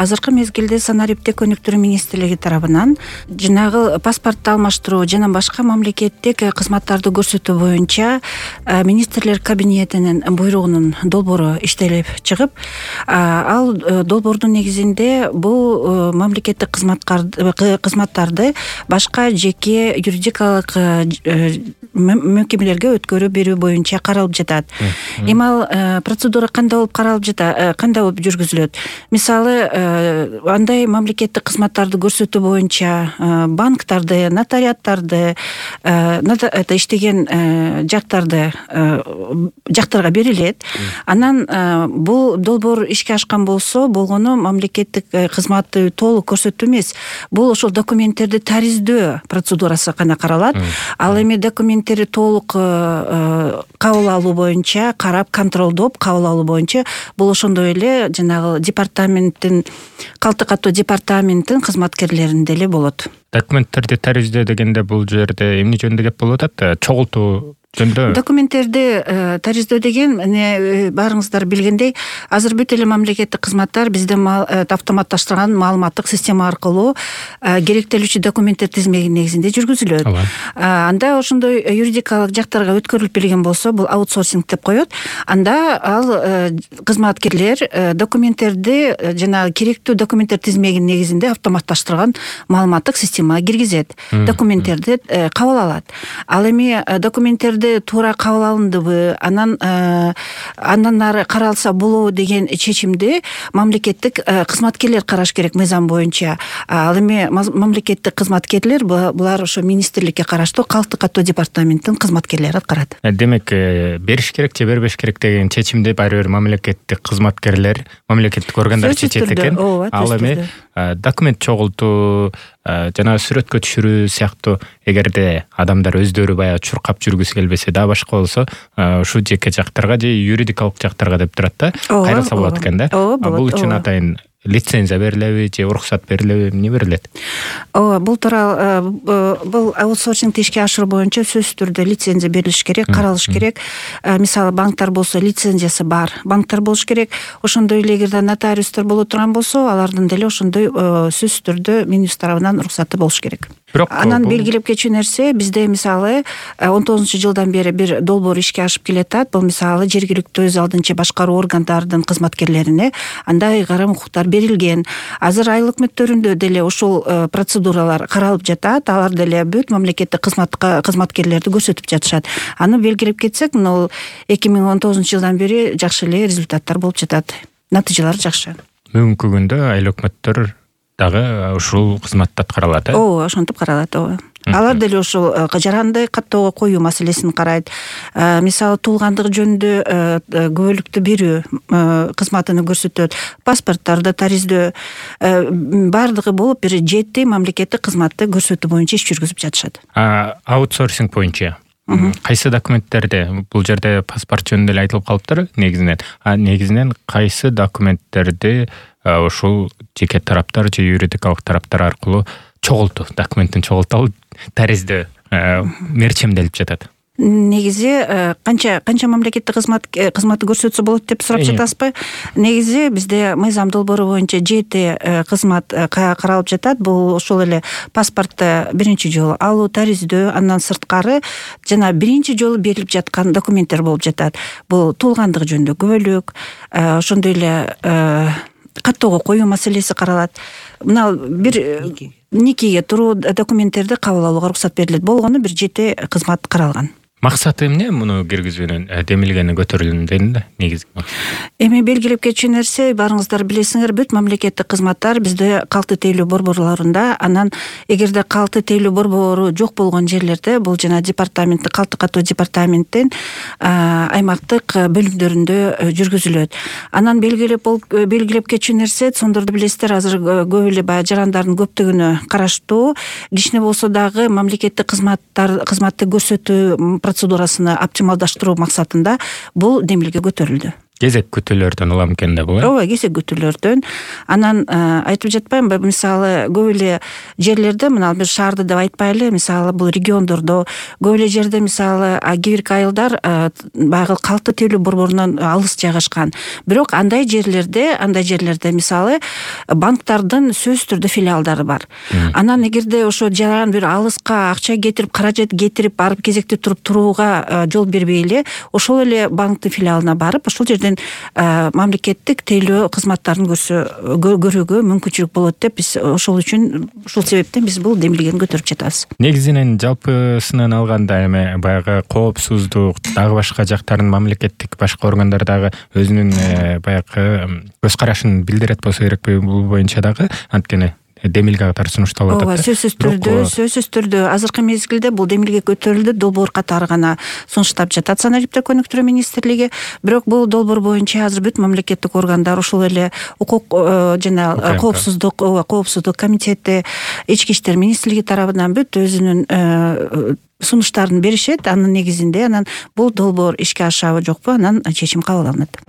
азыркы мезгилде санариптик өнүктүрүү министрлиги тарабынан жанагы паспортту алмаштыруу жана башка мамлекеттик кызматтарды көрсөтүү боюнча министрлер кабинетинин буйругунун долбоору иштелип чыгып, ал долбоордун негизинде бул мамлекеттик кызматтарды башка жеке юридикалык мекемелерге өткөрүп берүү боюнча каралып жатат. Эми ал процедура кандай болуп каралып жатат, кандай болуп жүргүзүлөт? Мисалы, андай мамлекеттик кызматтарды көрсөтүү боюнча банктарды, нотариаттарды, иштеген жактарга берилет. Анан бул долбоор ишке ашкан болсо, болгону мамлекеттик кызматты толук көрсөтүү эмес. Бул ошол документтерди тариздөө процедурасы гана каралат. Ал эми документтерди толук кабыл алуу боюнча, карап, контролдоп кабыл алуу боюнча бул ошондой эле жанагы департаменттин, калты катуу департаменттин кызматкерлеринде эле болот. Документтерди тариздөө дегенде бул жерде эмне жөнүндө кеп болуп атат? Чогултуу жөнүндө? Документтерди тариздөө деген, баарыңыздар билгендей, азыр бүт эле мамлекеттик кызматтар бизде автоматташтырылган маалыматтык система аркылуу керектелүүчү документтер тизмеги негизинде жүргүзүлөт. Анда ошондой юридикалык жактарга өткөрүлүп берилген болсо, бул аутсорсинг деп коет. Анда ал кызматкерлер документтерди жана керектүү документтер тизмеги негизинде автоматташтырылган маалыматтык системага киргизет. Документтерди кабыл алат. Ал эми документтерди туура кабыл алындыбы, анан ары каралса болобу деген чечимди мамлекеттик кызматкерлер караш керек мыйзам боюнча. Ал эми мамлекеттик кызматкерлер булар ошо министрликке караштуу калты катуу департаменттин кызматкерлери аткарат. Демек, бериш керек же бербеш керек деген чечимди баары бир мамлекеттик кызматкерлер, мамлекеттик органдар чечет экен. Ал эми документ чогултуу, жана сүрөткө түшүрүү сыяктуу эгерде адамдар өздөрү баягы чуркап жүргүсү келбесе да башка болсо, ушу жеке жактарга же юридикалык жактарга деп турат да, кайрылса болот экен да. Бул үчүн атайын лицензия берилеби же уруксат берилеби, эмне берилет? Бул тууралуу бул аутсорсингди ишке ашыруу боюнча сөзсүз түрдө лицензия берилиш керек, каралыш керек. Мисалы, банктар болсо лицензиясы бар банктар болуш керек. Ошондой эле эгерде нотариустар боло турган болсо, алардын деле ошондой сөзсүз түрдө министр тарабынан уруксаты болуш керек. Анан белгилеп кетчү нерсе, бизде мисалы 19-жылдан бери бир долбоор ишке ашып келатат. Бул мисалы жергиликтүү өз алдынча башкаруу органдардын кызматкерлерине андай ыйгарым укуктар берилген. Азыр айыл өкмөттөрүндө деле ошол процедуралар каралып жатат. Алар деле бүт мамлекеттик кызматкерлерди көрсөтүп жатышат. Аны белгилеп кетсек, мына 2019-жылдан бери жакшы эле результаттар болуп жатат. Натыйжалар жакшы. Бүгүнкү күндө айыл өкмөттөр дагы ушул кызматты аткаралат, ошентип каралат, Алар деле ушул жаранды каттоого коюу маселесин карайт. Мисалы, туулгандык жөнүндө күбөлүктү берүү кызматыны көрсөтөт. Паспорттарды тариздөө, бардыгы болуп бир 7 мамлекеттик кызматты көрсөтүү боюнча иш жүргүзүп жатышат. Аутсорсинг боюнча кайсы документтерди, бул жерде паспорт жөнүндө эле айтылып калыптыр негизинен кайсы документтерди ушул жеке тараптар же юридикалык тараптар аркылуу документтин чогултуп тариздөө мерчемделип жатат? Негизи канча мамлекеттик кызматты көрсөтсө болот деп сурап жатасызбы? Негизи бизде мыйзам долбоору боюнча 7 кызмат каралып жатат. Бул ошол эле паспортты биринчи жолу алуу, тариздөө, андан сырткары жана биринчи жолу берилип жаткан документтер болуп жатат. Бул туулгандык жөнүндө күбөлүк, ошондой эле каттоого коюу маселеси каралат. Мына бир никеге туруу документтерди кабыл алууга уруксат берилет. Болгону бир 7 кызмат каралган. Максаты эмне муну киргизүүнүн, демилгени көтөрүлгөндө негизги максат? Эми белгилеп кетчү нерсе, баарыңыздар билесиңер, бүт мамлекеттик кызматтар бизде калты тейлөө борборлорунда. Анан эгерде калты тейлөө борбору жок болгон жерлерде, бул жана департаменттин, калты катуу департаменттин аймактык бөлүмдөрүндө жүргүзүлөт. Анан белгилеп кетчү нерсе, сондорду билесиздер, азыр көп эле баягы жарандардын көптүгүнө караштуу, кичине болсо дагы мамлекеттик кызматты көрсөтүү процедурасыны оптималдаштыруу максатында бул демилге көтөрүлдү. кезек күтүүлөрдөн улам экен да бул. Ооба, кезек күтүүлөрдөн. Анан айтып жатпаймынбы, мисалы көп эле жерлерде, мына бир шаарды деп айтпайлы, мисалы бул региондордо көп эле жерде мисалы кээ бирки айылдар баягы калкты тейлөө борборунан алыс жайгашкан. Бирок андай жерлерде мисалы банктардын сөзсүз түрдө филиалдары бар. Анан эгерде ошо жаран бир алыска акча кетирип, каражат кетирип барып кезекте турууга жол бербей эле ошол эле банктын филиалына барып ошол жерден мамлекеттик тейлөө кызматтарын көрүүгө мүмкүнчүлүк болот деп биз ушул себептен биз бул демилгени көтөрүп жатабыз. Негизинен жалпысынан алганда эми баягы коопсуздук дагы башка жактарын мамлекеттик башка органдар дагы өзүнүн баягы көз карашын билдирет болсо керекпи бул боюнча дагы, анткени демилге катары сунушталып атат. Ооба, сөзсүз түрдө азыркы мезгилде бул демилге көтөрүлдү, долбоор катары гана сунуштап жатат саналып өнүктүрүү министрлиги. Бирок бул долбоор боюнча азыр бүт мамлекеттик органдар, ошол эле укук жана коопсуздук комитети, ички иштер министрлиги тарабынан бүт өзүнүн сунуштарын беришет. Анын негизинде анан бул долбоор ишке ашабы жокпу, анан чечим кабыл алынат.